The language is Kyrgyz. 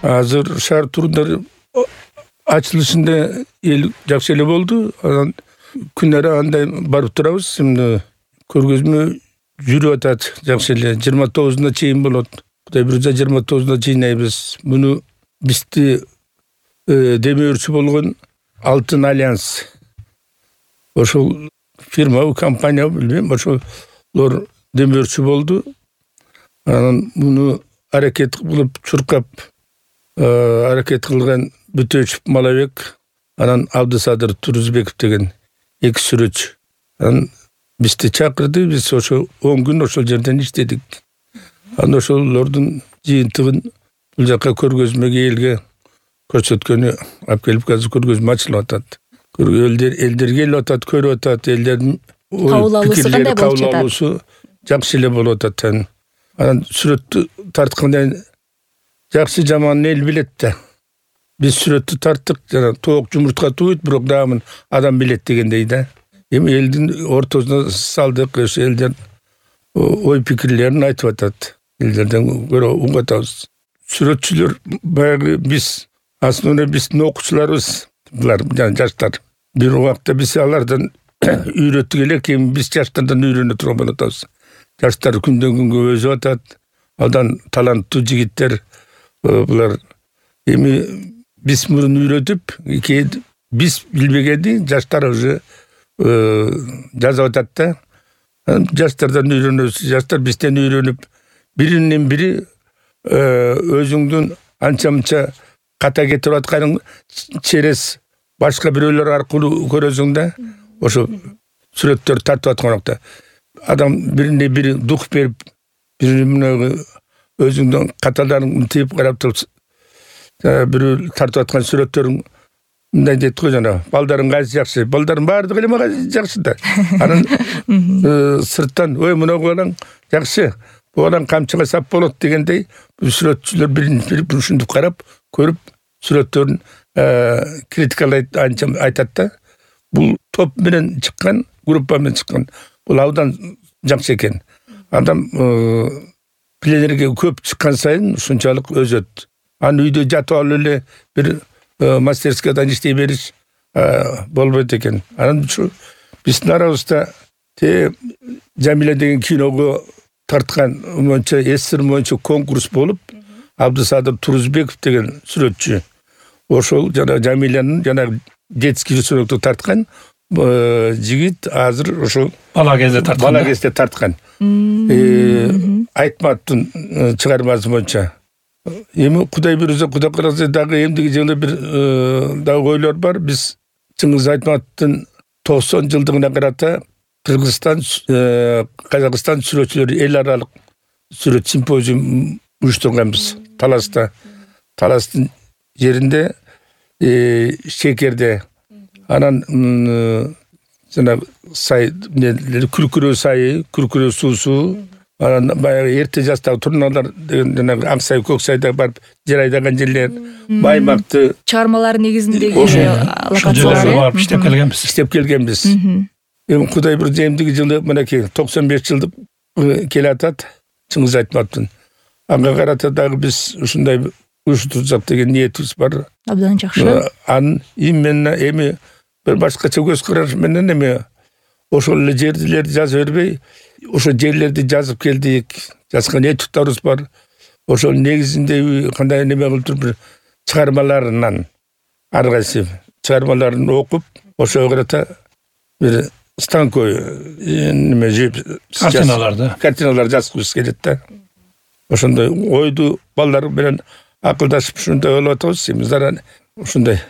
Азыр шаар турундар ачылышында эл жакшы эле болду. Анан күнара андай барып турабыз. Эми көргөзмө жүрүп атат жакшы эле. 29-уна чейин болот. Кудай буйрса 29-уна жыйнайбыз. Муну бизди демөөрчү болгон Алтын Альянс. Ошол фирма, компания билбейм, ошолор демөөрчү болду. Анан муну аракет кылып чуркап аракет кылган Бүтөчүп Малабек, анан Абдысадыр Турузбеков деген эки сүрөтчү. Анан бизди чакырды, биз ошо 10 күн ошол жерден иштедик. Анан ошолордун жыйынтыгын бул жака көргөзмөгө элге көрсөткөнү алып келип азыр көргөзмө ачылып атат. Элдерге келип атат, көрүп атат, элдердин кабыл алуусу кандай болуп жатат? Жакшы эле болуп атат. Анан сүрөттү тарткандан жакшы жаман эл билет да. Биз сүрөттү тарттык, жана тоок жумуртка туйт, бирок дагы адам билет дегендей да. Эми элдин ортосуна салдык, ошо элдер ой пикирлерин айтып атат. Элдерден көрө угуп атабыз. Сүрөтчүлөр баягы биз, основной биздин окуучуларыбыз, булар жаштар. Бир убакта биз алардан үйрөттүк элек, эми биз жаштардан үйрөнө турган болуп атабыз. Жаштар күндөн күнгө өсүп атат. Алдан таланттуу жигиттер, булар эми биз мурун үйрөтүп, биз билбегенди жаштар уже жазып атат да. Жаштардан үйрөнөбүз, жаштар бизден үйрөнүп, биринен бири өзүңдүн анча-мынча ката кетирип атканың через башка бирөөлөр аркылуу көрөсүң да. Ошо сүрөттөр тартып аткан убакта адам бирине бири дух берип, бирине өзүңдүн каталарың тип карап туруп, бирөө тартып аткан сүрөттөрүң мындай дейт го, жана балдарың кайсы жакшы, балдардын баардыгы эле мага жакшы да. Анан сырттан ой мына балаң жакшы, бул балаң камчыга сап болот дегендей, сүрөтчүлөр бири ушинтип карап, көрүп сүрөттөрүн критикалайт, анча айтат да. Бул топ менен чыккан, группа менен чыккан. Бул абдан жакшы экен. Адам пленерге көп чыккан сайын ушунчалык өзөт. Аны үйдө жатып алып эле бир мастерскияда иштей бериш болбойт экен. Анан ушу биздин арабызда Жамиля деген киного тарткан монча эсир монча конкурс болуп, Абдысадыр Турузбеков деген сүрөтчү, ошол жана Жамилянын жана детский рисунокто тарткан жигит азыр ошол бала кезде тарткан. Айтматтын чыгармасы боюнча. Эми Кудай буйрса, Кудай кааласа дагы эмдиги жылы бир дагы ойлор бар. Биз Чыңгыз Айтматтын 90 жылдыгына карата Кыргызстан, Казакстан сүрөтчүлөрү эл аралык сүрөт симпозиум уюштурганбыз Таласта. Таластын жеринде Шекерде. Анан жана сай күркүрөө сайы, күркүрөө суусу, анан баягы эрте жастагы турналар деген жана Аксай, Көксайда барып жер айдаган жерлер, Баймакты чыгармалар негизиндеги локациялар барып иштеп келгенбиз. Эми Кудай буйрса эмдиги жылы мынакей 95 жылдык келе атат Чыңгыз Айтматтын. Ага карата дагы биз ушундай уюштурсак деген ниетибиз бар. Абдан жакшы. Анын именно эми бир башкача көз караш менен эми ошол эле жерлерди жазып бербей, ошол жерлерди жазып келдик, жазган этюдтарыбыз бар. Ошол негизинде кандай неме кылып туруп бир чыгармаларынан ар кайсы чыгармаларын окуп, ошого карата бир станкой неме жеп картиналар жазгыбыз келет да. Ошондой ойду балдар менен акылдашып ушундай ойлоп атабыз. Эми заран ушундай